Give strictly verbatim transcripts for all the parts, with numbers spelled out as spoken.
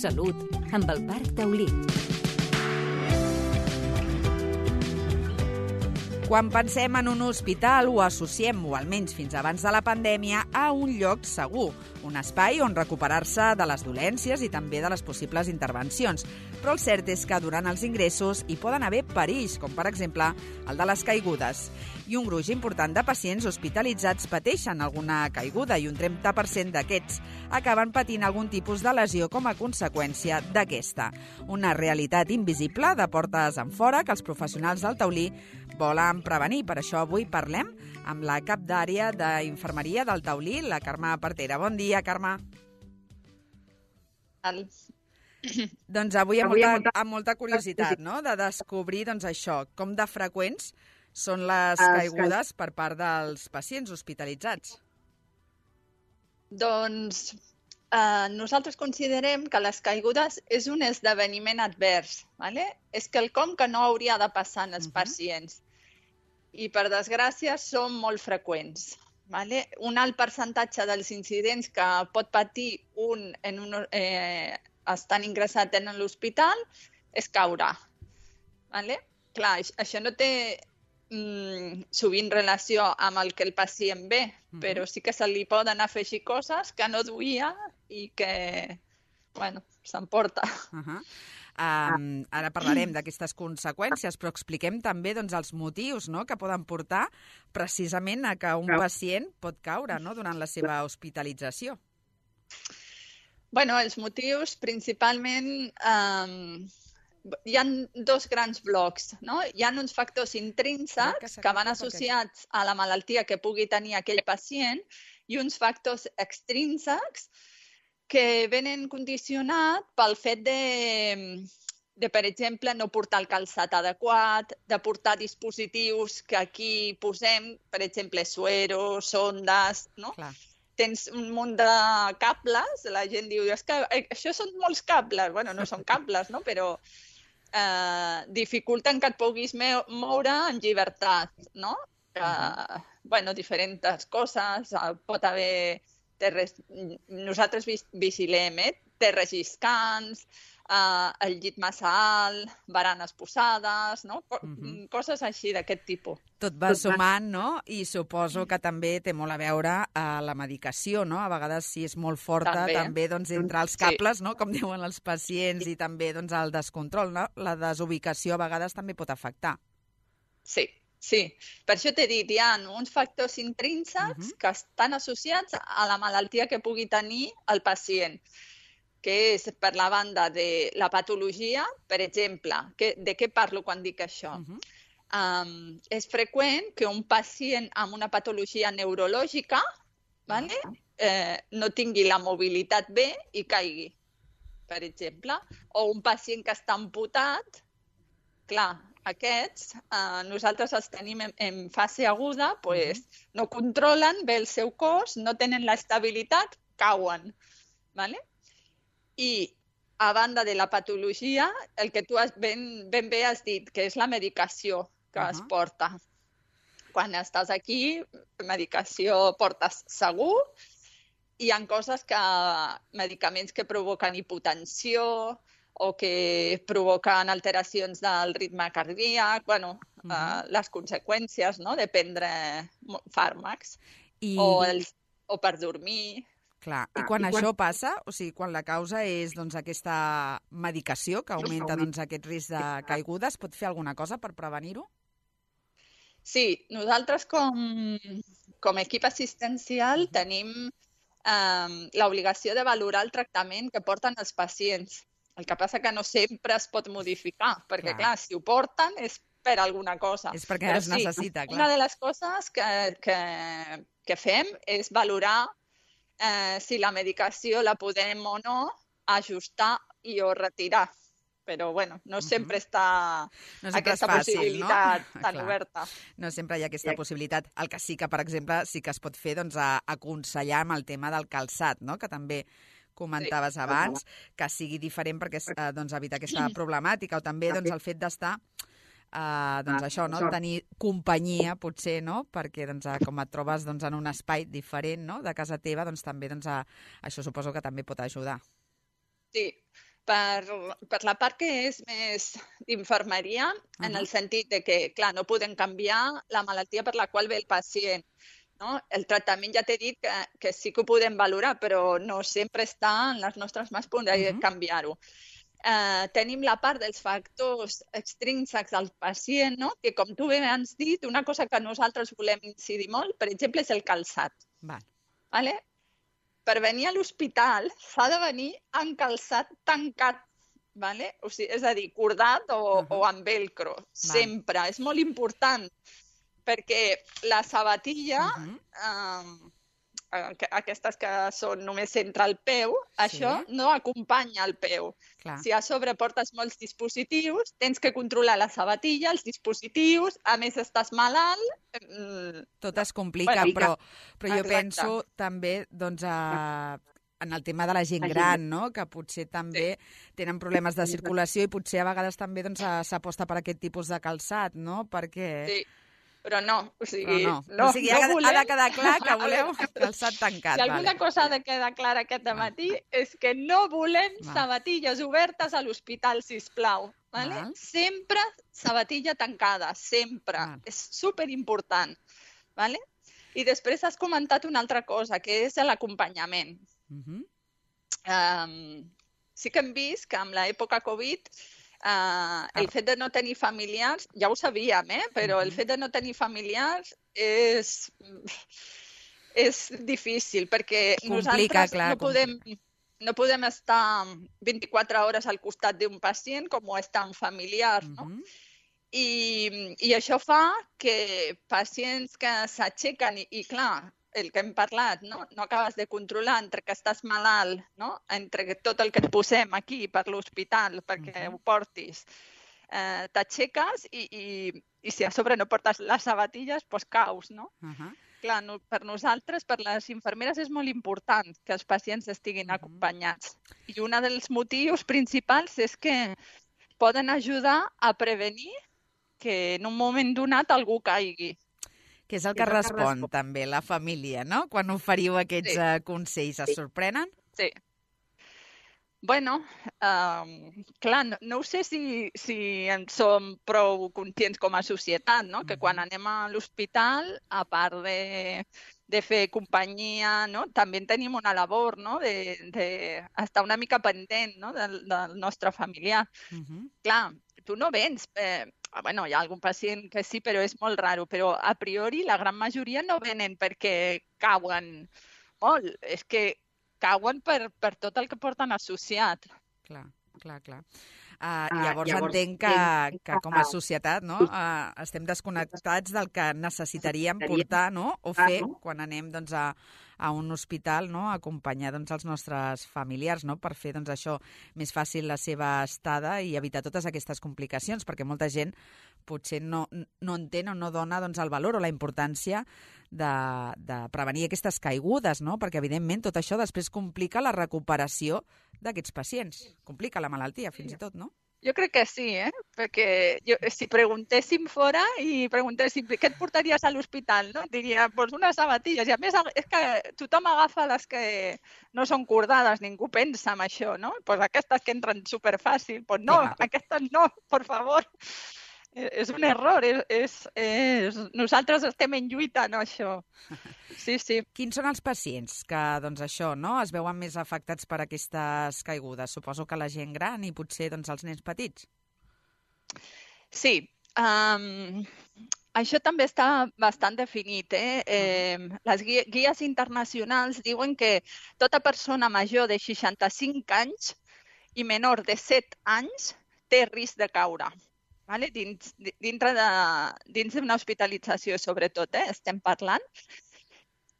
Salut, amb el Parc Taulí. Quan pensem en un hospital ho associem, o almenys fins abans de la pandèmia, a un lloc segur, un espai on recuperar-se de les dolències i també de les possibles intervencions. Però el cert és que durant els ingressos hi poden haver perills, com per exemple el de les caigudes. I un gruix important de pacients hospitalitzats pateixen alguna caiguda i un trenta per cent d'aquests acaben patint algun tipus de lesió com a conseqüència d'aquesta. Una realitat invisible de portes enfora que els professionals del Taulí volen prevenir. Per això avui parlem amb la cap d'àrea d'infermeria del Taulí, la Carme Partera. Bon dia, Carme. El... Doncs avui amb molta, amb molta curiositat, no?, de descobrir doncs, això, com de freqüents són les caigudes per part dels pacients hospitalitzats. Doncs eh, nosaltres considerem que les caigudes és un esdeveniment advers, ¿vale? És quelcom que no hauria de passar en els uh-huh. pacients. I, per desgràcia, són molt freqüents. ¿Vale? Un alt percentatge dels incidents que pot patir un, en un eh, estan ingressat en l'hospital és caure. ¿Vale? Clar, això no té mm, sovint relació amb el que el pacient ve, uh-huh. però sí que se li poden afegir coses que no duia i que, bueno, s'emporta. Uh-huh. Um, ara parlarem d'aquestes conseqüències, però expliquem també doncs, els motius, no?, que poden portar precisament a que un pacient pot caure, no?, durant la seva hospitalització. Bueno, els motius principalment um, hi ha dos grans blocs, no? Hi ha uns factors intrínsecs que van associats a la malaltia que pugui tenir aquell pacient i uns factors extrínsecs que venen condicionat pel fet de, de, per exemple, no portar el calçat adequat, de portar dispositius que aquí posem, per exemple, sueros, sondes, no? Clar. Tens un munt de cables, la gent diu, és que això són molts cables. Bueno, no són cables, no? Però eh, dificulten que et puguis moure en llibertat, no? Uh, bueno, diferents coses, pot haver... Terres... Nosaltres vigilem, eh? Terres lliscants, eh, el llit massa alt, baranes posades, no? Uh-huh. Coses així d'aquest tipus. Tot va sumant, no? I suposo que també té molt a veure a la medicació, no? A vegades, si és molt forta, també, també doncs, entre els cables, sí. no? Com diuen els pacients, i també doncs, el descontrol, no? La desubicació a vegades també pot afectar. Sí. Sí, per això t'he dit, hi ha uns factors intrínsecs uh-huh. que estan associats a la malaltia que pugui tenir el pacient, que és per la banda de la patologia, per exemple. Que, de què parlo quan dic això? Uh-huh. Um, és freqüent que un pacient amb una patologia neurològica vale, uh-huh. eh, no tingui la mobilitat bé i caigui, per exemple. O un pacient que està amputat, clar, aquests, eh, nosaltres els tenim en, en fase aguda, pues, uh-huh. no controlen bé el seu cos, no tenen l'estabilitat, cauen. ¿Vale? I a banda de la patologia, el que tu has ben, ben bé has dit, que és la medicació que uh-huh. es porta. Quan estàs aquí, medicació portes segur, hi ha coses que, medicaments que provoquen hipotensió, o que provoquen alteracions del ritme cardíac, bueno, uh-huh. eh, les conseqüències, no?, de prendre fàrmacs, I... o, els, o per dormir. Clar, i quan ah, i això quan... passa, o sigui, quan la causa és doncs, aquesta medicació que augmenta doncs, aquest risc de caiguda, es pot fer alguna cosa per prevenir-ho? Sí, nosaltres com, com a equip assistencial tenim eh, l'obligació de valorar el tractament que porten els pacients. El que passa que no sempre es pot modificar, perquè, clar, clar si ho porten és per alguna cosa. És perquè Però es sí, necessita, clar. Una de les coses que, que, que fem és valorar eh, si la medicació la podem o no ajustar i o retirar. Però, bueno, no sempre uh-huh. està no sempre aquesta fàcil, possibilitat no? tan clar. Oberta. No sempre hi ha aquesta sí. possibilitat. El que sí que, per exemple, sí que es pot fer, doncs, a aconsellar amb el tema del calçat, no?, que també comentaves sí. abans, que sigui diferent perquè eh, doncs, evitar aquesta problemàtica, o també doncs, el fet d'estar, eh, doncs això, no? tenir companyia, potser, no? Perquè doncs, com et trobes doncs, en un espai diferent, no?, de casa teva, doncs també doncs, a, això suposo que també pot ajudar. Sí, Per, per la part que és més d'infermeria, uh-huh. en el sentit de que, clar, no podem canviar la malaltia per la qual ve el pacient. No? El tractament ja t'he dit que, que sí que ho podem valorar, però no sempre està en les nostres mans poder uh-huh. canviar-ho. Eh, tenim la part dels factors extrínsecs del pacient, no? Que com tu bé has dit, una cosa que nosaltres volem incidir molt, per exemple, és el calçat. Val. Vale? Per venir a l'hospital s'ha de venir amb calçat tancat, vale? O sigui, és a dir, cordat o, uh-huh. o amb velcro, Val. sempre. És molt important, perquè la sabatilla, uh-huh. eh, aquestes que són només entre el peu, sí. això no acompanya el peu. Clar. Si a sobre portes molts dispositius, tens que controlar la sabatilla, els dispositius, a més estàs malalt... Mm, tot es complica, bueno, però, però jo Exacte. penso també doncs, a, en el tema de la gent gran, no? Que potser també sí. tenen problemes de circulació i potser a vegades també doncs, s'aposta per aquest tipus de calçat, no? Perquè... Sí. Però no, o sigui, no. no, o sigui no ha, volem... ha de quedar clar que voleu calçat tancat. Si alguna vale. cosa ha de quedar clara aquest matí és que no volem Val. sabatilles obertes a l'hospital, sisplau. Vale? Val. Sempre sabatilla tancada, sempre. Val. És superimportant. Vale? I després has comentat una altra cosa, que és l'acompanyament. Uh-huh. um, sí que hem vist que amb l'època Covid Uh, el fet de no tenir familiars, ja ho sabíem, eh? però el fet de no tenir familiars és, és difícil, perquè complica, nosaltres clar, no, podem, no podem estar vint-i-quatre hores al costat d'un pacient com ho està un familiar, no? Uh-huh. I, I això fa que pacients que s'aixequen i, i clar, el que hem parlat, no? no acabes de controlar entre que estàs malalt, no? entre tot el que et posem aquí per l'hospital perquè uh-huh. ho portis, eh, t'aixeques i, i, i si a sobre no portes les sabatilles, doncs caus, no? Uh-huh. Clar, no, per nosaltres, per les infermeres, és molt important que els pacients estiguin uh-huh. acompanyats. I un dels motius principals és que poden ajudar a prevenir que en un moment donat algú caigui. Que és el que, que respon, que respon també la família, no? Quan oferiu aquests sí. uh, consells, es sí. sorprenen? Sí. Bueno, um, clar, no, no sé si, si en som prou conscients com a societat, no? Que quan anem a l'hospital, a part de, de fer companyia, no? També tenim una labor, no? De, de estar una mica pendent, no? del, del nostre familiar. Uh-huh. Clar, tu no vens... Eh, Bueno, hi ha algun pacient que sí, però és molt raro. Però a priori la gran majoria no venen perquè cauen molt. És que cauen per, per tot el que porten associat. Clar, clar, clar. Uh, llavors, llavors entenc que, que com a societat no, uh, estem desconnectats del que necessitaríem portar no, o fer quan anem doncs, a, a un hospital, no, a acompanyar doncs, els nostres familiars no, per fer doncs, això més fàcil la seva estada i evitar totes aquestes complicacions, perquè molta gent potser no, no entén o no dona doncs, el valor o la importància de, de prevenir aquestes caigudes, no? Perquè evidentment tot això després complica la recuperació d'aquests pacients, complica la malaltia fins i tot, no? Jo crec que sí, eh? Perquè jo, si preguntéssim fora i preguntéssim què et portaries a l'hospital, no? Diria, doncs unes sabatilles. I a més és que tothom agafa les que no són cordades, ningú pensa en això, no? Doncs aquestes que entren superfàcil, doncs no, sí, aquestes no, per favor. És un error, és, és, és... nosaltres estem en lluita en això. Sí, sí. Quins són els pacients que, doncs això, no, es veuen més afectats per aquestes caigudes? Suposo que la gent gran i potser doncs, els nens petits. Sí, um, això també està bastant definit. Eh? Eh, les guies internacionals diuen que tota persona major de seixanta-cinc anys i menor de set anys té risc de caure. Vale? Dins, dintre de, dins d'una hospitalització, sobretot, eh? estem parlant.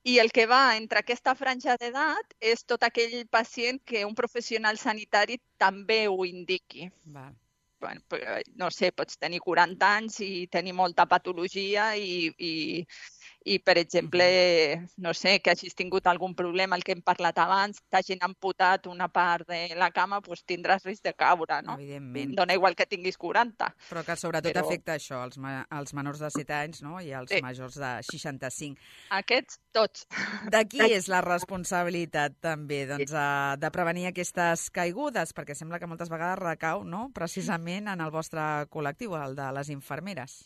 I el que va entre aquesta franja d'edat és tot aquell pacient que un professional sanitari també ho indiqui. Val. Bueno, no sé, pots tenir quaranta anys i tenir molta patologia i, i, i, per exemple, no sé, que hagis tingut algun problema, el que hem parlat abans, t'hagin amputat una part de la cama, doncs tindràs risc de caure, no? Evidentment. Dona igual que tinguis quaranta. Però que sobretot Però... afecta això, els, ma els menors de set anys, no? I els Sí. majors de seixanta-cinc. Aquests, tots. De qui és la responsabilitat, també, doncs, eh, de prevenir aquestes caigudes? Perquè sembla que moltes vegades recau, no?, precisament en el vostre col·lectiu, el de les infermeres.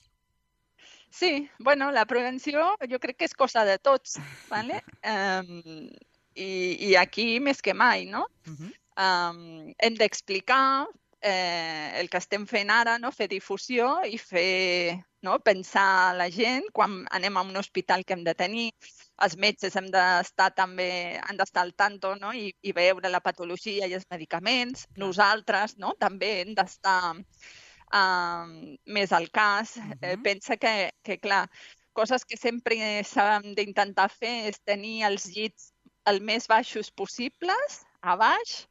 Sí, bueno, la prevenció jo crec que és cosa de tots, ¿vale? Um, i, I aquí més que mai, no? Uh-huh. um, hem d'explicar eh, el que estem fent ara, no? Fer difusió i fer, no? Pensar la gent quan anem a un hospital que hem de tenir. Els metges hem d'estar també, han d'estar al tanto, no? I, i veure la patologia i els medicaments. Nosaltres, no? També hem d'estar Uh, més al cas. Uh-huh. eh, pensa que, que, clar, coses que sempre s'han d'intentar fer és tenir els llits el més baixos possibles, a baix.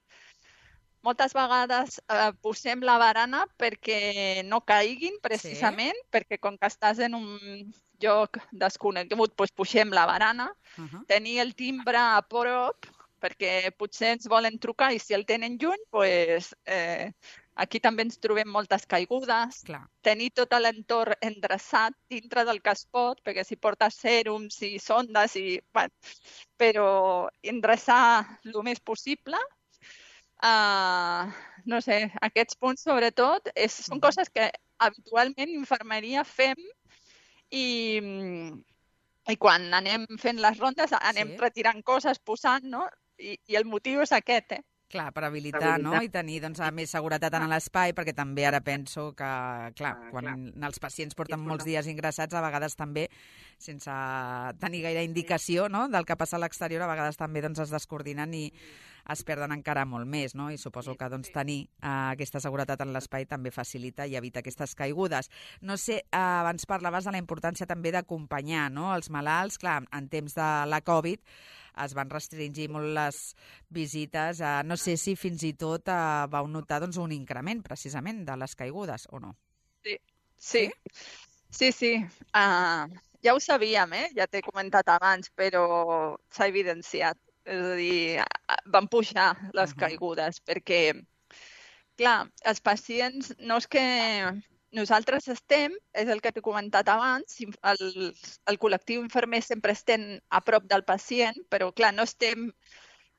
Moltes vegades eh, posem la barana perquè no caiguin, precisament, sí. Perquè com que estàs en un lloc desconegut, doncs pugem la barana. Uh-huh. Tenir el timbre a prop, perquè potser ens volen trucar i si el tenen lluny, doncs... Eh, aquí també ens trobem moltes caigudes. Clar. Tenir tot l'entorn endreçat dintre del que es pot, perquè si portes sèrums i sondes, i, bueno, però endreçar el més possible. Uh, no sé, aquests punts sobretot és, són uh-huh. coses que habitualment infermeria fem i, i quan anem fent les rondes anem sí. retirant coses, posant, no? I, i el motiu és aquest, eh? Clar, per habilitar, no? I tenir doncs, més seguretat en l'espai, perquè també ara penso que, clar, quan els pacients porten molts dies ingressats, a vegades també, sense tenir gaire indicació, no?, del que passa a l'exterior, a vegades també doncs, es descoordinen i es perden encara molt més, no? I suposo que doncs, tenir uh, aquesta seguretat en l'espai també facilita i evita aquestes caigudes. No sé, uh, abans parlaves de la importància també d'acompanyar, no?, els malalts. Clar, en temps de la Covid es van restringir molt les visites. Uh, no sé si fins i tot uh, vau notar doncs, un increment, precisament, de les caigudes, o no? Sí, sí, sí, sí. Uh, ja ho sabíem, eh? Ja t'he comentat abans, però s'ha evidenciat. És a dir, van pujar les uh-huh. caigudes, perquè, clar, els pacients no és que nosaltres estem, és el que t'he comentat abans, el, el col·lectiu infermer sempre estem a prop del pacient, però, clar, no estem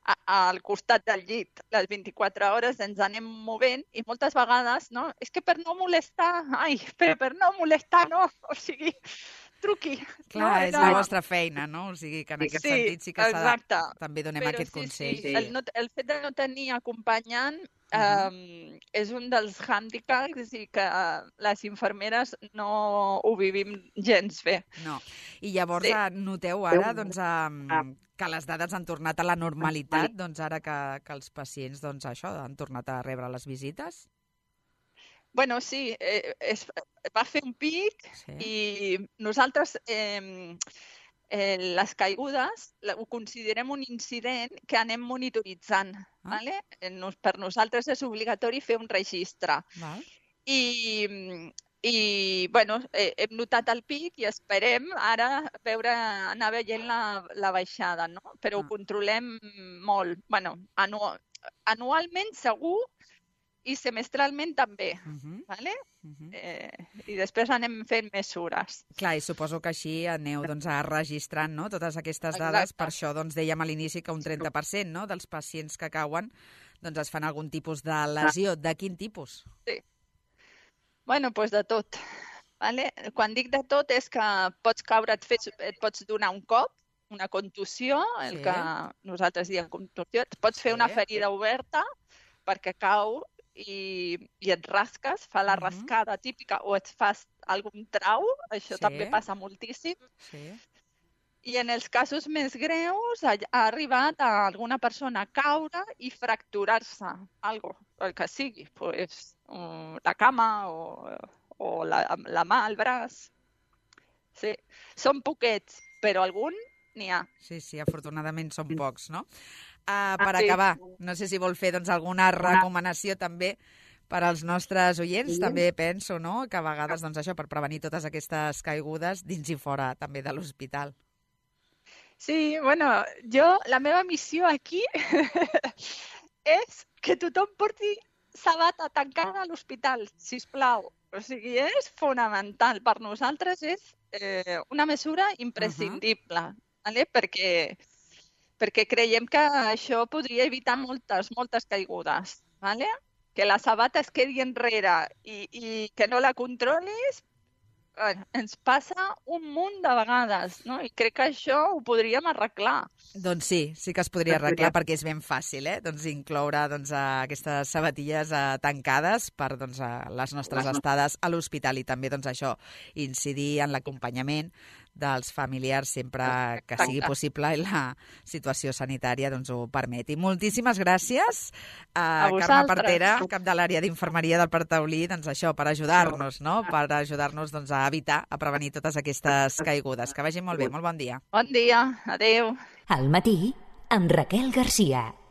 a, al costat del llit les vint-i-quatre hores, ens anem movent i moltes vegades, no? És que per no molestar, ai, però per no molestar, no, o sigui... truqui. Clar, no, és la vostra feina, no? O sigui, que en aquest sí, sentit sí que s'ha de... també donem però aquest sí, consell. Sí, sí. El, no, el fet de no tenir acompanyant uh-huh. um, és un dels hàndicaps i que uh, les infermeres no ho vivim gens bé. No. I llavors sí. noteu ara doncs, um, que les dades han tornat a la normalitat, doncs ara que, que els pacients doncs, això han tornat a rebre les visites? Bueno, sí, eh, es, va fer un pic sí. I nosaltres eh, eh, les caigudes ho considerem un incident que anem monitoritzant. Ah. ¿Vale? Nos, per nosaltres és obligatori fer un registre. Val. I, i bueno, eh, hem notat el pic i esperem ara veure, anar veient la, la baixada, no? Però ah. ho controlem molt. Bueno, anu, anualment segur, i semestralment també, uh-huh. ¿vale? Uh-huh. eh, i després anem fent mesures. Clar, i suposo que així aneu doncs, registrant no? Totes aquestes dades. Exacte. Per això doncs, dèiem a l'inici que un trenta per cent no? dels pacients que cauen doncs, es fan algun tipus de lesió. De quin tipus? Sí. Bueno, doncs de tot. Vale? Quan dic de tot és que pots caure, et, fes, et pots donar un cop, una contusió, el sí. que nosaltres diem contusió, et pots fer sí. una ferida oberta perquè cau i, i et rasques, fa la rascada uh-huh. típica, o et fas algun trau, això sí. també passa moltíssim. Sí. I en els casos més greus ha, ha arribat a alguna persona a caure i fracturar-se, algo, el que sigui, pues, um, la cama o, o la, la mà, el braç. Sí, són poquets, però algun n'hi ha. Sí, sí, afortunadament són pocs, no? Uh, per ah, sí. acabar, no sé si vol fer doncs, alguna recomanació també Per als nostres oients sí. també penso, no?, que a vegades, doncs això, per prevenir totes aquestes caigudes dins i fora també de l'hospital. Sí, bueno, jo, la meva missió aquí és que tothom porti sabata tancada a l'hospital, sisplau. O sigui, és fonamental. Per nosaltres és eh, una mesura imprescindible, uh-huh. ¿vale? perquè, perquè creiem que això podria evitar moltes, moltes caigudes. ¿Vale? Que la sabata es quedi enrere i, i que no la controlis, bueno, ens passa un munt de vegades, no? I crec que això ho podríem arreglar. Doncs sí, sí que es podria arreglar perquè és ben fàcil, eh? Doncs incloure doncs, aquestes sabatilles eh, tancades per doncs, les nostres estades a l'hospital i també doncs, això, incidir en l'acompanyament dels familiars sempre que sigui possible i la situació sanitària doncs, ho permeti. Moltíssimes gràcies a, a Carme Partera, cap de l'àrea d'infermeria del Parc Taulí, doncs això, per ajudar-nos, no? Per ajudar-nos doncs, a evitar, a prevenir totes aquestes caigudes. Que vagi molt bé, molt bon dia. Bon dia, adeu. Al matí, amb Raquel Garcia.